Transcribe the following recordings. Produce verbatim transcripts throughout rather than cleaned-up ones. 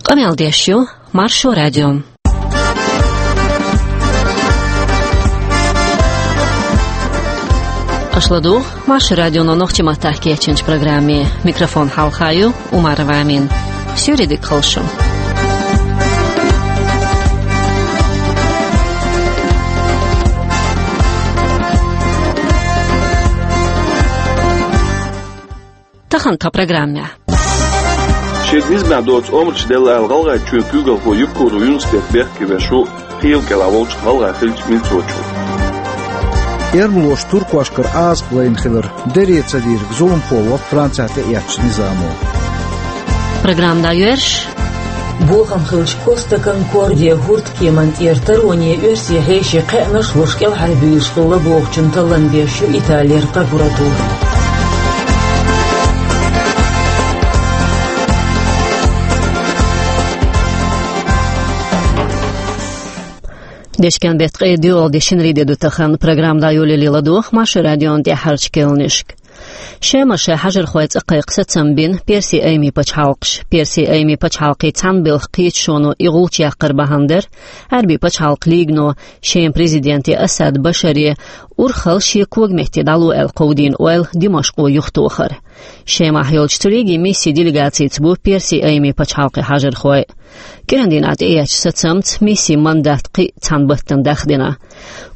Къамел деш ю Маршо радио. Аша ладугӀу Маршо радионо нохчийн маттахь кечйинчу программе. Микрофон хьалха ю Умарова Амина. Суьйре дика хуьлда шун. Тахана тхан программехь. Шега низамехь доцу омраш делла аьлла, ГӀалгӀайчоьнан куьйгалхо Евкуров Юнус-Бек бехке веш ву Пхьийлан кӀелахь волчу ГӀалгӀайн хиллачу милцочо. Эрмалоша туркошкара Ӏазап лайна хилар, дера ца дийриг зуламхо ваха Францехь тӀеэцначу низамо. Программа дӀайоьрзуш. Бохам хиллачу Коста Конкордия хӀурдкеман тӀера тароне оьрсийн хьеший кхаьънаш а луш кӀелхьарбуьйлуш хилла бохучун таллам беш ю Италера прокуратура. Дешкен беттан ткъе доьалгӀа де, шинарин де ду тахана. Программа дӀайолале ладогӀа Маршо радион тӀаьххьарчу керланашка. Шема шайн хьажархой цӀа кхайкха сацам бина Персин Аймийн пачхьалкхаша. Персин Аймийн пачхьалкхийн цхьаьнабелхан кхеташоно и гӀулч яккхар бахьана дара, Ӏаьрбийн пачхьалкхан лигано Шеман президенте Асад Башаре урхалла шен когаметте дӀало аьлла кховдийна ойла Димашкъо юхатохар. Шемахь йолчу цу лигийн миссин делегацица бу Персин Аймийн пачхьалкхийн хьажархой. КӀиран дийнахь тӀеэцначу сацамца миссин мандат кхин а цхьана баттана дахдина.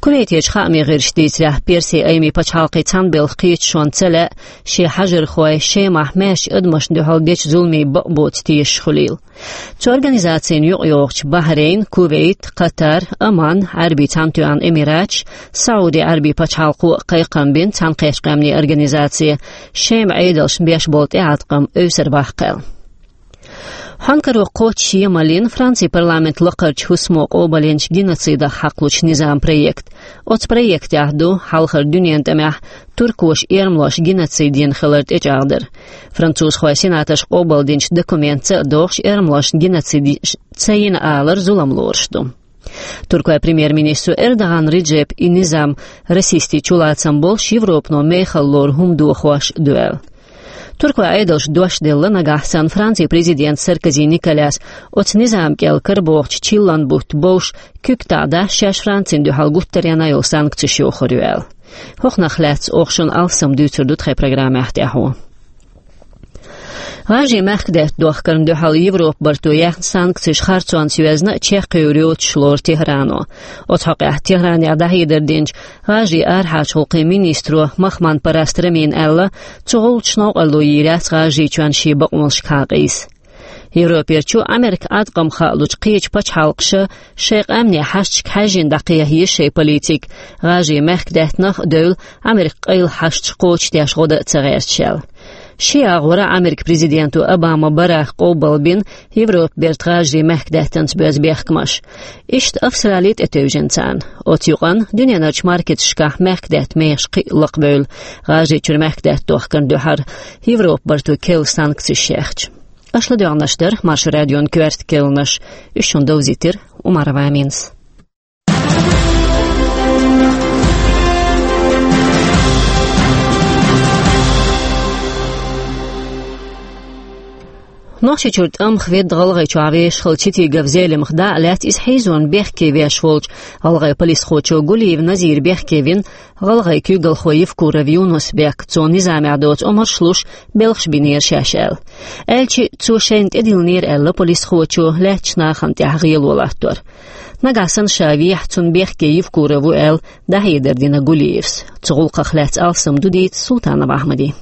Кувейтерчу хаамийн гӀирсаша дийцарехь, Персин Аймийн пачхьалкхийн цхьаьнабелхан кхеташонна ца лаьа шен хьажархой Шемахь маьршачу адамашна дуьхьал дечу зуламийн бакъ боцу тешаш хуьлийла. Цу организацина юкъайогӀучу Бахрейн, Кувейт, Катар, Оман, Ӏаьрбийн Цхьаьнатоьхна Эмираташ, СаӀуди Ӏаьрбийн пачхьалкхо а кхайкхам бина Цхьаьнакхеттачу Къаьмнийн Организацин Шеман Ӏедалшна беш болу тӀеӀаткъам эвсара баккха аьлла. Хьанна каро кхоччуш Йеманан Францин парламентан лакхарчу хӀусамо къобалйинчу геноцидах хьакхалучу низаман проект. Оцу проектехь ду хьалхара дуьненан тӀамехь туркоша эрмалошна геноцид йина хилар тӀечӀагӀдар. Французхойн сенаторша къобалдинчу документаца а догӀуш, эрмалошна геноцид ца йина алар зулам лоруш ду. Туркойн премьер-министро Эрдоган Реджепа и низам расистийн чулацам болуш, Европано мехала лору хӀума дохош ду аьлла. Туркойн Ӏедалша дош делла, нагахь санна Францин президента Саркози Николяс оцу низам кӀел карабохучу чиллан бутт бовш, куьг таӀзар шаьш Францина дуьхьал гуттаренна йолу санкцеш йохур ю аьлла. ХӀокхунах лаьцна оха шуна алссам дуьйцур ду тхайн программехь тӀаьхьо. ГӀажарийн мехкадаьтта дохкарна дуьхьал Европа барто яьхна санкцеш харцонца йоьзна а чекхйовр йоцуш лору Техрано. Оцу хьокъехь Техранехь дӀахьедар динчу ГӀажарийн арахьарчу гӀуллакхийн министро Махман-Параст Рамина аьлла, цу гӀуллакхаша новкъарло йийр яц ГӀажарийчоьнна шен бакъонашкахьа къийса. Европерчу Ӏамеркан Ӏаткъам хаалучу кхечу пачхьалкхаша шайн къаьмнийн хьашташка хьаьжжина дӀакхехьа еза шайн политика, ГӀажарийн мехкадаьттанах а девлла, Ӏамеркан къайла хьашташ кхочушдеш гӀо дан а ца гӀерташ аьлла. Ши агӀора Ӏамеркан президенто Обама Барака къобалбина Европа берта ГӀажарийн мехкадаьттанца боьзна бехкамаш. Иштта Австрали а тӀетевжина царна. Оцу юкъанна дуьненарчу маркеташкахь мехкадаьтта мехаш кхин а лакхабевлла, ГӀажарийчуьра мехкадаьтта дохкарна дуьхьал Европа барто керла санкцеш яьхча. Аша ладоьгӀнарш дара Маршо радион коьрта керланаш. Уьш шуна довзийтира Умарова Аминас. Нохчийчуьра тӀамах ведда ГӀалгӀайчохь вешахала Читигов Зелимха дӀа а лаьцна, иза хьийзорна бехке веш волчу гӀалгӀайн полисхочо Гулиев Назира бехке вина гӀалгӀайн куьйгалхо Евкуров Юнус-Бек. Цо низамехь доцу омраш луш, белхаш бинера шаьш аьлла. Аьлча, цо шайна тӀедиллинера аьлла полисхочо лаьттачу нахана тӀехь гӀело латтор. Нагахь санна ша вехьа, цунна бехке Евкуров ву аьлла, дӀахьедар дина Гулиевс. Цу гӀуллакхах лаьцна алссам ду дийца Султанов Ахьмадин.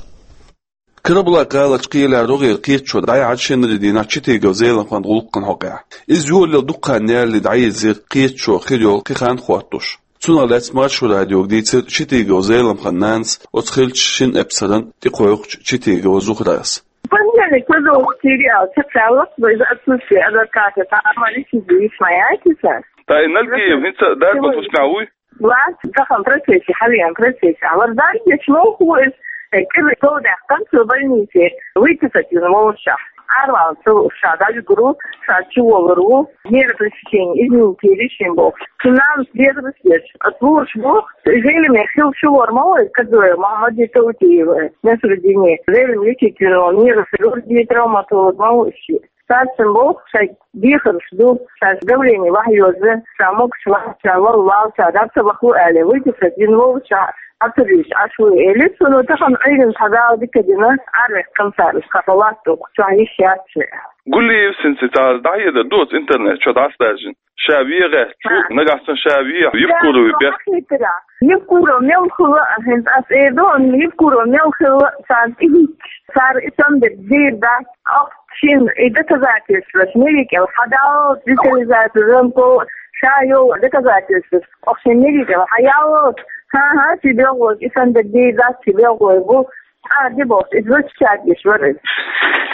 Карабулак-гӀаларчу кхелехь рогӀера кхеташо дӀаяьхьира шинарин дийнахь Читигов Зелимхан гӀуллакхна хьокъехь. Иза йолалла дукха хан ялале дӀаерзира кхеташо хир йолу кхин хан хӀоттош. Цунах лаьцна Маршо радиога дийцира Читигов Зелимхан нанас, оцу хиллачу шина эпсаран тӀекхойкхучу Читигова Зухрас. Понедельник, пожалуйста, сериал. Чакхаллах, из отсутствие адвоката. Тамара сидит, моя киса. Та и Налгиев, хӀинца дарба тусмехь вуй? Ва, тахана процессе, хьалиан процессе. Ва, дарба деш воху иза, э, кӀира говдаьккхина цо больнице. Выписать вина волуш. Арван цо ша дӀавигур ву, ша чуволур ву. Нервное сечение, извините, решим бохуш. Цунна нервное сечение. От лучше бу, Зелимхан хилла чувор ма ву, Кадоев Мухаммад Таутиев, Насруддине. Зелимхан лечить вина волу нервный хирург, травматолог ма ву иши. Царцин боху, шайн дехарш ду, шаьш давление вахьа йоза, ша могуш вац, ша вала вала, ша дӀа ца ваху аьлла, вуй ди ша дина волу, ша Ӏа ца вийча Ӏаш ву, элира цо, ну, тахана Ӏуьйранна цхьа Дала дика дина, арвехкан цара, уьш кхаха латту, чохь йиш яц шен. Гулиев синца цара дӀахьедар доцу интернет чохь дӀасадаьржина. Ша вен гӀерташ ву, нагахь санна ша вехь, Евкурови бехк. Евкуров мел хилла а, хӀинца ас эр ду, Евкуров мел хилла а, царна тӀехӀитташ, цара и самбира дийр дац, оха шина и доказательстваш милли кӀел хьадал, детализация, замко, ша йолу доказательстваш, оха шина милли кӀел хьаял, хӀан-хӀа, ши белхалой, и самбира дийр дац, ши белхалой бу, А, де бохуш, иза вуьшта чаргаш вара иза.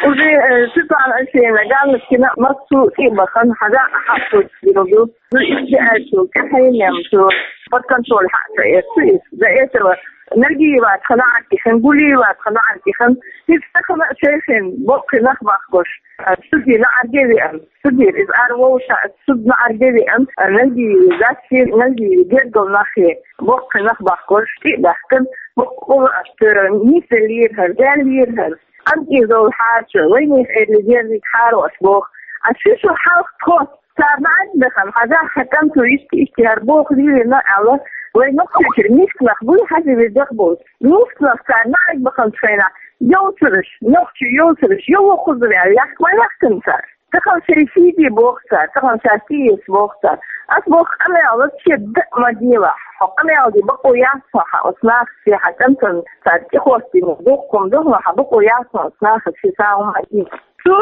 Уже, э, Светлана Алексеевна Галочкина массо а тӀе а бахана, хьажа а хьалхочуш дина ду. Ну, иза аьлча, тӀаьхьенем цо под контроль хьа а ца эцу иза. До этого Нальгиева тхан Ӏаркихина, Гулиева тхан Ӏаркихина. Иза тахана а шайхин боккхий нах бахкош, э, судьи на Ӏарге веана. Судьи, иза ара вовшахь, судьи на Ӏарге веана, э, Нальгиева, Гассин, Нальгиева, гергал нахе. Боккхий нах бахкош, тӀе а баьхкина, боккха къуръаш тера, нисделлера хӀара, даьллера хӀара. КӀантий зовла хьарчо, вайнех эрли дерзийта хьаро аш боху. Ас ши шо хьалха тхо, царна Ӏад бехана, хьажахь, хьан кӀант ву иштта-иштта хӀара боху лелийна аьлла, вай нохчочуьра мисканах буй хьажа везех болчу. Мисканах царна Ӏад баханчу хенахь, йовцараш, нохчий йовцараш, йовхо хуза ваьлла, яхка ма яхкина цара. Тахана шайн сийди боху цара, тахана шаьш тӀеэца боху цара. Ас боху, къамел лаца шен дан а ма делахь. Хьо къамел де бакъо яц хьо, хьан оцу нахаца, хьан кӀантана цара тӀехӀоттийна дуккха хӀума ду хьуна, хьан бакъо яц хьо оцу нахаца шен сагӀа хӀума а дийца. Цо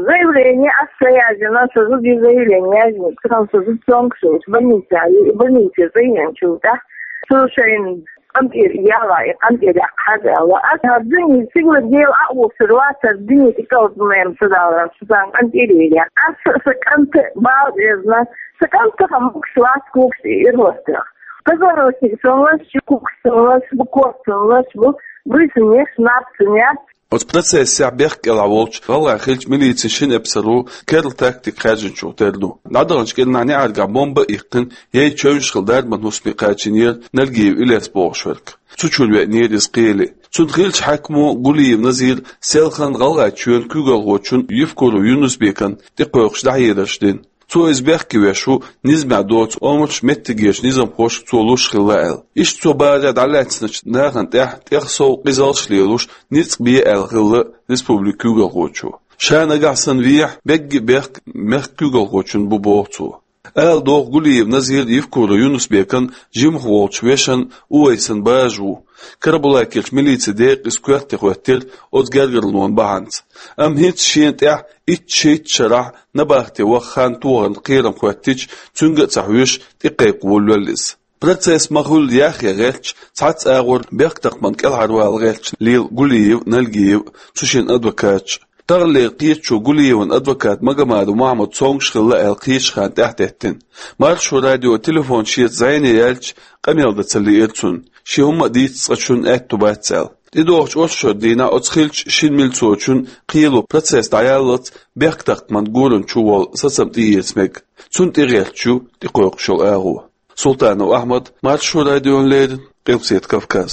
заявление ас ца яздина, со зуда заявление яздина, тахана со зуда цомгуш йолчу больница, больнице цӀа еанчул тӀаьхьа. Цо шайна къантӀера яла, и къантӀера яккха хьажа аьлла. Ас хӀара дуьне сигала дела а вуссур вац, хӀара дуьне тӀекӀалдина ца даларан, шу сан къантӀера яла. Ас сан кӀанта бала безна, сан кӀант тахана могуш вац, когаш тӀе ира хӀоттах. Позвоночник сан лаш, когаш сан лаш бу, ког сан лаш бу, буьйсанна еш, наб сан яц. Оцу процессехь бехк кӀелахь волчу гӀалгӀайн хиллачу милицин шина эпсаро керла тактика хаьржинчух тера ду. ДӀадаханчу кӀирнахь неӀаргахь бомба а иккхина, яй чевнаш хилла дарбан хӀусаме кхачийнера Нальгиев Илес бохуш верг. Цу чуьра веанера иза кхеле. Цунна хиллачу хьаькамо Гулиев Назира селхана ГӀалгӀайчоьнан куьйгалхочун Евкуров Юнус-Бекан тӀекхойкхуш дӀахьедарш дина. Цо иза бехке веш ву, низамехь доцу омраш меттигерчу низамхошка цо луш хилла аьлла. Иштта цо барехь дӀалаьцначу нахана тӀехь тӀех сов къизалш лелош ницкъ бе аьлла хилла республикан куьйгалхочо. Ша нагахь санна вехь, бегги бехк мехкан куьйгалхочун бу боху цо. Ала догӀу Гулиев Назир Евкуров Юнус-Бекан жимах волчу вешан Увайсан бажа ву. Карабулакерчу милицин декъа иза коьрте хӀоьттира оцу гергарлонан бахьанца. Амма хӀинца шена тӀехь итт-шийтта шарахь набахте ваха хан тохаран кхерам хӀоьттича, цуьнга а ца хьоьжуш, тӀекхайкха волавелла иза. Процесс ма-хуьллу яхъян гӀерташ, цхьацца агӀор бехктакхаман кӀелхьарвала гӀерташ лела Гулиев а, Нальгиев а, цу шинна адвокаташ а. Таханлера кхеташо Гулиеван адвокат Магомадов Мухьаммад цомгуш хилла аьлла кхечу ханна тӀаьхьатеттина. Маршо радион телефон шеца зӀене яьлча, къамел дан ца лиира цунна, шен хӀумма а дийца цкъачунна аьтто бац аьлла. ТӀедогӀучу оршот дийнахь оцу хиллачу шина милцочун кхело процесс дӀаяллалц бехктакхаман гуран чу волу сацам тӀеэца мега. Цунна тӀегӀерташ ю тӀекхойкхуш йолу агӀо. Султанов Ахьмад, Маршо радиона леррина, Къилбаседа Кавказ.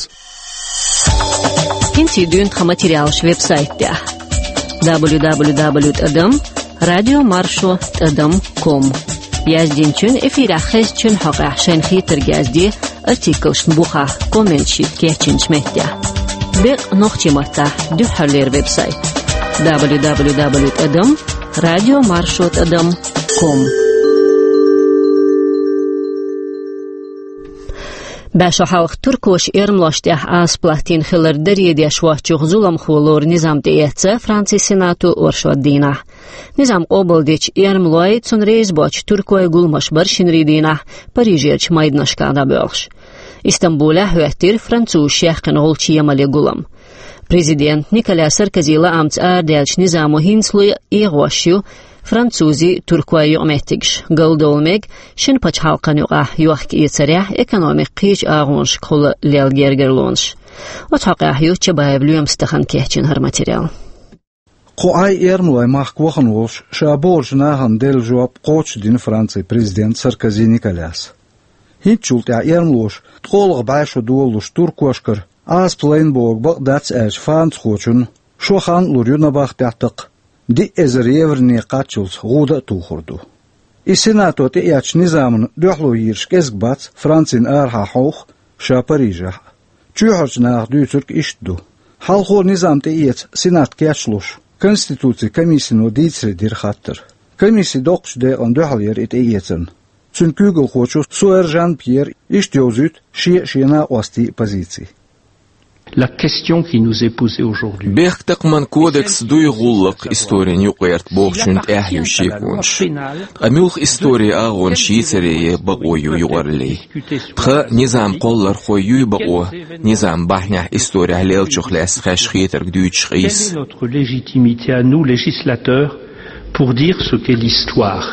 ХӀинца дуьйна тхан материалаш веб-сайтехь: дабл ю дабл ю дабл ю тӀадам радио маршо тӀадам ком. Яздинчун, эфирехь хезначун хьокъехь шайна хетарг язде, артиклашна бухахь комменташ йита кечйинчу меттехь. Бекъа нохчийн маттахь дуьххьарлера веб-сайт: дабл ю дабл ю дабл ю тӀадам радио маршо тӀадам ком. БӀе шо хьалха туркоша эрмалошна тӀехь Ӏазап латтийна хилар даре деш воцчух зуламхо лору низам тӀеэцна Францин Сенато оршот дийнахь. Низам къобалдича, эрмалой, цунна реза боцчу туркой гуламаш бара шинарин дийнахь Парижерчу майданашкахь дӀабоьлхуш. Истамбулехь хӀоьттира французаша яьккхина гӀулчийн емалан гулам. Президент Николя Саркози лаамца арадаьллачу низамо хӀинцалуй а эгӀош ю французийн, туркойн юкъаметтигаш, галдовла мега шина пачхьалкхан юкъахь йохка-эцарехь, экономикан кхечу агӀонашкахула лелла гергарлонаш. Оцу хьокъехь ю Чабаев Лоьмас тахана кечйина хӀара материал. Кху Ӏай эрмалой махка вахана волуш, ша бохучу нахана делла жоп кхочушдина Францин президента Саркози Николяс. ХӀинцачул тӀаьхьа эрмалоша ткъолгӀа бӀе шо долалуш туркошкара Ӏазап лайна бохург бакъ дац аьлча францхочунна шо хан а лур ю набахтехь такха. диъ эзар еврона кхаччалца гӀуда а тухур ду. И Сенато тӀеэцначу низамна дуьхьало йийраш кӀезиг бац Францин арахьа хьовха, ша Парижехь а. Чоьхьарчу наха дуьйцург иштта ду. Хьалхо низам тӀеэца Сенат кечлуш, Конституцин комиссино дийцаре дира хаттар. Комисси доккхачу декъана дуьхьал яра и тӀеэцарна. Цуьнан куьйгалхочо Суэр Жан-Пьера иштта йовзуьйту шен а, шен накъостийн а позици. La question qui nous est posée aujourd'hui. Бехктакхаман кодекс дуй гӀуллакх историн юкъагӀерта бохучун тӀехь ю шеконаш. Ткъа муьлха историн агӀонаш йийцаре бакъо ю юкъараллин? Тхан низам кхоллархой юй бакъо низам бахьанехь исторехь леллачух лаьцна хезаш хетарг дуьйцуш къийса? Quelle est notre légitimité à nous, législateurs, pour dire ce qu'est l'histoire?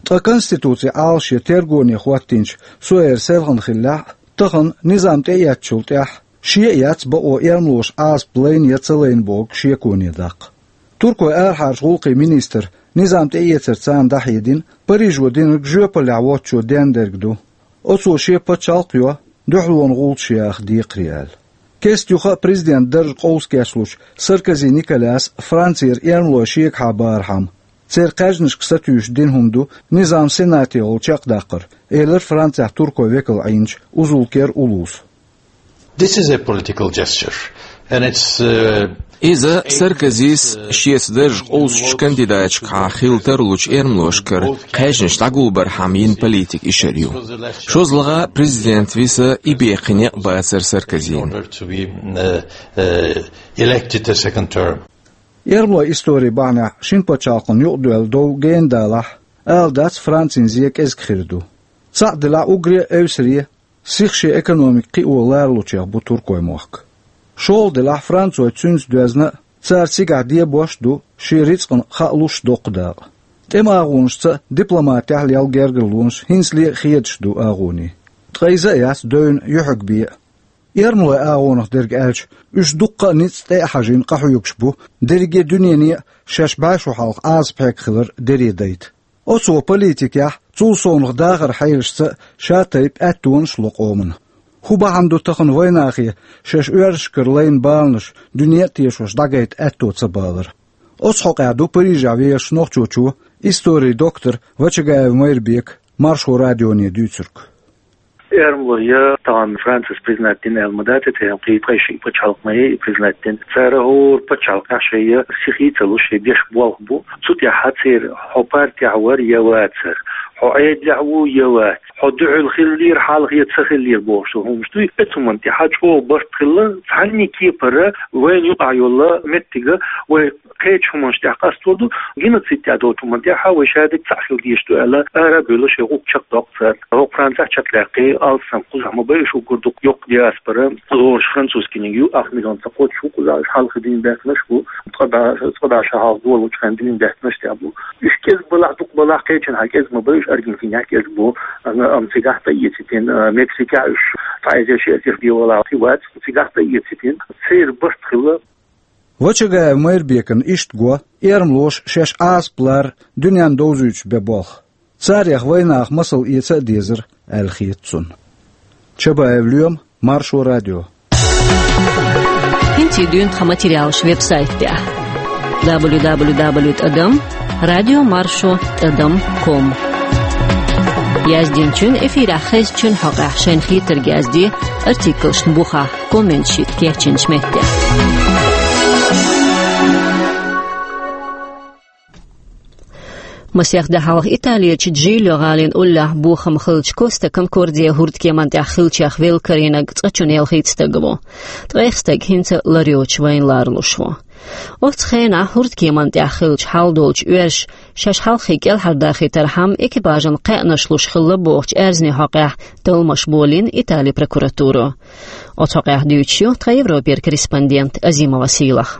Ткъа Конституцин Ӏалашъе тергоне хӀоттийначу Суэран селхана хиллехь а, тахана низам тӀеэцначул тӀаьхьа шен а яц бакъо эрмалоша Ӏазап лайна я ца лайна бохург шеконе даккха. Туркойн арахьарчу гӀуллакхийн министра низам тӀеэцар царна дӀахьедина, Парижо динарг жоьпаллехь воцчо денна дерг ду. Оцо шен пачхьалкх а йо, дуьхьалонан гӀулчаш яха декхаре аьлла. Кеста юха а президентан дарж къовса кечлучу Саркози Николяса Францера эрмалой шегахьа бархьама, церан кхаьжнашка сатуьйсуш дина хӀума ду низам Сенатехула чекхдаккхар, элира Францехь туркойн векал Ӏийначу Узулкер Улуса. This is a political gesture, and it's, uh, Иза Саркозис шеца дарж къовсучу кандидаташкахьа хила тарлучу эрмалошкара кхаьжнаш дӀагулбархьама йина политика ишар ю. ШозлагӀа президент виса и беккхина некъ бацара Саркозина. In order to be, uh, uh, elected a second term. Эрмалойн историн бахьанехь шина пачхьалкхана юкъадоьлла дов гена далахь, ала дац Францин зен кӀезиг хир ду. Цхьаъ делахь уггаре а эвсаре, сиха шен экономика кхио ларалучех бу туркойн мохк. ШолгӀа делахь францойн цуьнца доьзна а, цара цигахь дебош а ду шен рицкъана хаа луш доккха дакъа. ТӀеман агӀонашца а, дипломатехь а лелла гергарлонаш хӀинцале а хедаш ду агӀоне. Ткъа иза а яц девнна юьхьиг бен а. Эрмалойн агӀонах дерг аьлча, уьш дуккха а ницкъ тӀе а хьажийна къахьоьгуш бу, дерриге дуьнене а шаьш бӀе шо хьалха Ӏазап хьегна хилар дере дайта. Оцо политикехь, цул совнах дахаран хьелашца а ша-тайпа аьттонаш а ло къомана. ХӀун бахьана ду тахана вайнахе шаьш оьрсашкара лайна баланаш дуьне а тешош дӀагайта аьтто ца балар? Оцу хьокъехь ду Парижехь вешан нохчочо, историн доктор Вачагаев Майрбека Маршо радионе дуьйцург. Эрмалой я тахана Францис признать дина аьлла ма дац, тӀе кхин ткъе шиъ пачхьалкх ма яй и признать дина. Цара хӀора пачхьалкхехь шайн я сихе а ца луш, шайн беш болх бу. Цу тӀехь церан хьо партехь вара я вацара, хьо Ӏедалехь ву я вац, хьо дуьхьал хиллера, хьалха я ца хиллера бохуш долу хӀуманаш дуй. Оцу хӀуманна тӀехь чӀогӀа барт хилла, цхьанне кепара вайна юкъахь йолу меттиг вай кхечу хӀуманаш тӀехь къастор ду, геноцид тӀехь долчу хӀуманна тӀехь вай шадерг цхьаъ хила дезаш ду аьлла, ара а бевлла шайн гӀуллакх чекхдоккху цара. ХӀокху Францехь чекхдаьккхи алсам кхузахь ма бай уьш уггар дукха йоккха диаспора, лоруш французскиниг ю, ах миллион ца кхоччуш ву кхузахь, уьш хьалха дийна баьхкинарш бу, ткъа бӀе, ткъа бӀе шо хьалха долучу хенахь дийна баьхкинарш тӀехь бу. Уьш кӀезиг балахь, дукха балахь, кхечанхьа кӀезиг ма бай уьш, Аргентинехь кӀезиг бу, амма цигахь тӀеэцийна, Мексикехь уьш цхьа эзар ши эзар бен валахь кхин вац, цигахь тӀеэцийна, церан барт хилла. Вачагаев Майрбекана иштта го эрмалоша шаьш Ӏазап лара дуьненна довзуьйтуш бен болх. Царех вайнаха масал эца а дезара, аьлла хета цунна. Чабаев Лоьма, Маршо радио. ХӀинца дуьйна тхан материалаш веб-сайтехь: дабл ю дабл ю дабл ю тӀадам радио маршо тӀадам ком. Яздинчун, эфирехь хезначун хьокъехь шайна хетарг язде, артиклашна бухахь, комменташ йита кечйинчу меттехь. Масех де хьалха Италерчу Джилё гӀалин уллехь бохам хиллачу Коста Конкордия хӀурдкеман тӀехь хиллачех велла карийнарг цкъачунна ялхитта стаг ву. Ткъех стаг хӀинца лар йоцуш вайна ларалуш ву. Оцу хенахь хӀурдкеман тӀехь хиллачу хьал долчу оьрша шаьш хьалххе кӀелхьардахийтархьама экипажан кхаьънаш луш хилла бохучу аьрзнийн хьокъехь талламаш болийна Италин прокуратуро. Оцу хьокъехь дуьйцуш ю тхан Европера корреспондент Азимова Сийлаха.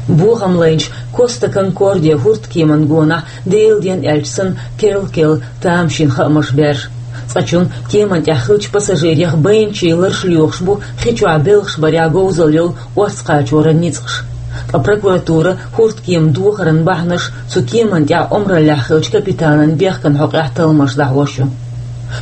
Бохам лайначу Коста Конкордия хӀурдкеман гонахь, Делан ден аьлча санна, керл-керла тамашийна хаамаш баьржа. Цкъачунна кеман тӀехь хиллачу пассажирех байначийн ларш лоьхуш бу хи чохь белхаш барехь говзалла йолу орца кхачоран ницкъаш. Ткъа прокуратура хӀурдкеман дохаран бахьанаш, цу кеман тӀехь омраллехь хиллачу капитанан бехкан хьокъехь талламаш дӀахьош ю.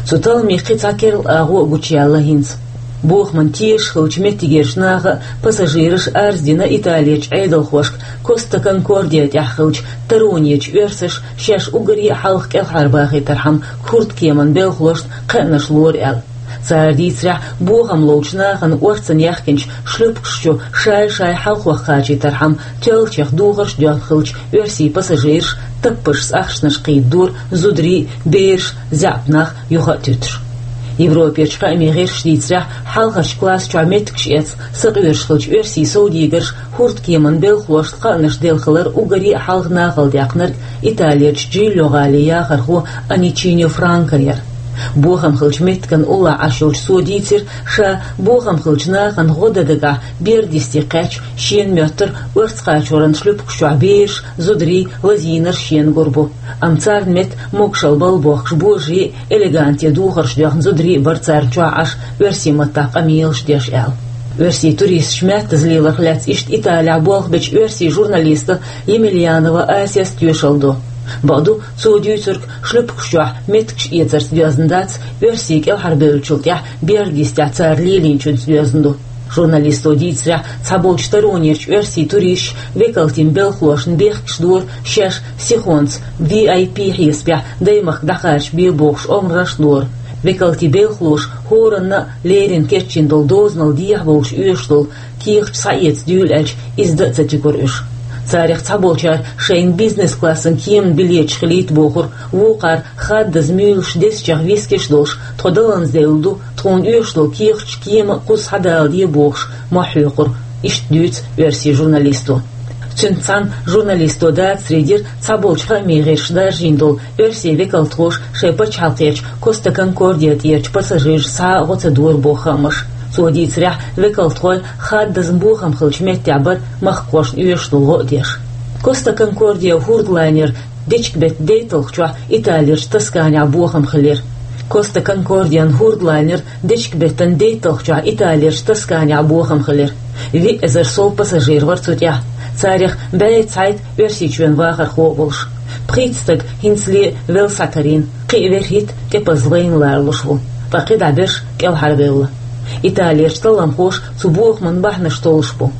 Цу талламийн кхин цхьа керла агӀо а гучуяьлла хӀинца. Бохамна тешаш хиллача меттигерча наха а, пассажираша а арз дина Италерчу Ӏедалхошка Коста Конкордия тӀехь хиллачу таронечу оьрсаша шаьш уггаре а хьалха кӀелхьарбахийтархьама, хӀордкеман белхалошна кхаънаш лору аьлла. Цара дийцарехь, бохам ловчу нахана орцанна яьхкинчу шлюпкаш чу шай-шай хьалхох кхачийтархьама, тоьллачех духарш а доьхна хиллачу оьрсийн пассажираша таппашца ахчанаш кхийдадора зударий а, бераш а, заьӀап нах а юха а туьтуш. Европерчу хаамийн гӀирсаша дийцарехь, хьалхарчу класс чохь меттигаш эцна сакъоьруш хиллачу оьрсийн совдегарша хӀордкеман белхалошна кхаънаш делла хилар уггаре а хьалха нахала даьккхинарг Италерчу Джильо гӀалин яхархо Аничиньо Франко яра. Бохам хиллачу меттиган уллохь Ӏаш йолчу цо дийцира, ша бохам хиллачу нахана гӀо дан дагахь берда йисте кхаьчча, шена моьттура орца кхачоран шлюпкаш чохь бераш, зударий, лазийнарш шена гур бу. Амма царна метта могушалла балла бохкуш божарий а, элегантен духарш доьхна зударий а бара царна чохь Ӏаш, оьрсийн маттахь къамелаш деш аьлла. Оьрсийн туристаш маьттаза леларх лаьцна иштта Италехь болх бечу оьрсийн журналиста Емельянова Асяс тоьшалла до. Бакъду, цо дуьйцург шлюпкаш чохь меттигаш эцарца доьзна дац, оьрсий кӀелхьарбевллачул тӀаьхьа берда йистехь цара лелийначуьнца доьзна ду. Журналисто дийцарехь, цхьаболчу таронерчу оьрсийн туристаша векалтийн белхалошна бехкаш дора, шаьш сихонца V I P хьесапехь даймахка дӀакхача бен бохуш омраш а дора. Векалтийн белхалоша хӀоранна а леррина кечйина долу дозанал дехьа бовлуш оьшуш долу кехаташ схьаэца дуьйла аьлча, иза дан а ца туьгура уьш. Царах цхьаболчара шайна бизнес-классан кеман билеташ хилийта бохура, вукхара хаддаза муьйлуш, дезачех вискеш а долуш, тхо даланза девлла ду, тхуна оьшуш долу кехаташ кема а кхузза схьадала де бохуш, мохь хьоькхура, иштта дуьйцу оьрсийн журналисто. Цуьнца цхьаьна журналисто дацаре дира цхьаболчу хаамийн гӀирсаша даржийна долу оьрсийн векалтхоша шайн пачхьалкхерчу Коста Конкордия тӀерачу пассажирашца схьа а гӀо ца дора боху хаамаш. Цо дийцарехь, векалтхой хаддаза бохам хиллачу меттехь бара махкахошна оьшуш долу гӀо а деш. Коста Конкордия хӀордалайнер дечиган беттан дейтталгӀачохь Италерчу Тосканехь бохам хилира. Коста Конкордиян хӀордалайнер дечиган беттан дейтталгӀачохь Италерчу Тосканехь бохам хилира. Виъ эзар сов пассажир вара цу тӀехь. Царах бӀе цхьайтта Оьрсийчоьнан вахархо а волуш. Пхийтта стаг хӀинцале велла схьакарийна, кхин а вуьрхӀитта тӀепаза вайна лоруш ву, ткъа кхидӀа берш кӀелхьарвевлла. Италерчу талламхоша цу бохаман бахьанаш толлуш бу.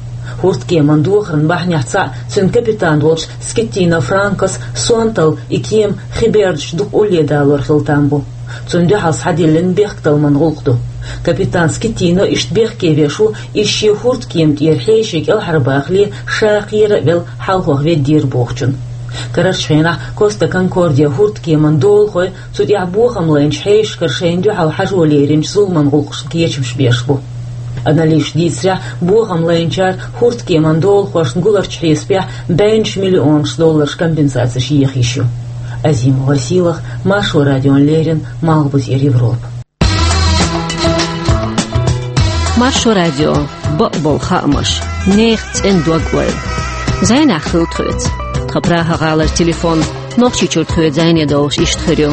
ХӀордкеман дохаран бахьанех цхьаъ, цуьнан капитан волчу Скиттино Франкос сонталла и кема хи бердашца дукха улледалор хила там бу. Цунна дуьхьал схьадиллина бехкталламан гӀуллакх ду. Капитан Скиттино иштта бехке веш ву, иза шен хӀордкема тӀера хьеший кӀелхьарбахале, ша кхера а велла, хьалхох веддера бохучунна. Карарчу хенахь Коста Конкордия хӀордкеман долахой цу тӀехь бохам лайначу хьешашкара шайна дуьхьал хьажо леринчу зуламан гӀуллакхашна кечамаш беш бу. Аналитикаша дийцарехь, бохам лайначара хӀордкеман долахошна гуларчу хьесапехь бӀеннаш миллионаш долларш компенсацеш еха йиш ю. Азима Василах, Маршо радиона леррина, Малхбузера Европа. Маршо радио, бакъболу хаамаш, нехан цӀена дог-ойла. Зайнахь хила тхоьца. Тхан Прага-гӀалара телефон Нохчийчуьра тхоьца зӀене долуш иштта хир ю: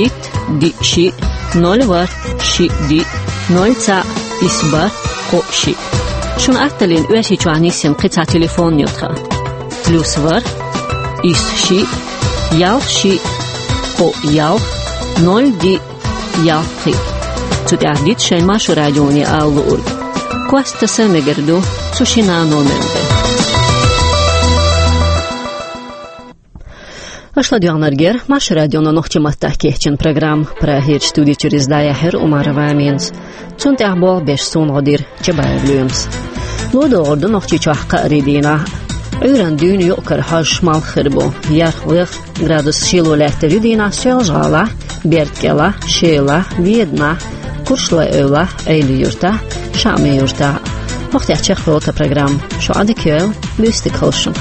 итт, диъ, шиъ, ноль, ворхӀ, шиъ, диъ, ноль, цхьаъ, исс, бархӀ, кхоъ, шиъ. Шуна атталлин Оьрсийчохь нисйина кхин цхьа телефон ю тхан: плюс ворхӀ, исс, шиъ, ялх, шиъ, кхоъ, ялх, ноль, диъ, ялх, пхиъ. Цу тӀехь дита шайн Маршо радионе ала луург. Кост таса мегар ду цу шина номерна тӀе. Аша ладоьгӀнарг яра Маршо радион нохчийн маттахь кечйина программа. Прагерчу студи чуьра иза дӀаяьхьира Умарова Аминас. Цунна тӀехь болх беш суна гӀо дира Чабаев Лоьмас. Ло догӀур ду Нохчийчохь кхаарин дийнахь. Ӏуьйранна дуьйна юкъ-кара хьожуш малх хир бу. Ярх-вех градус шело лаьттар ю дийнахь Соьлжа-ГӀалахь, Берда-КӀелахь, Шелахь, Веданахь, Курчалой-Эвлахь, Ӏелин-Юьртахь, Шаъмин-Юьртахь. ХӀокху тӀехь чекхйолу тхан программа. Шун Ӏадика йойла, буьйсаниг хуьлда шун.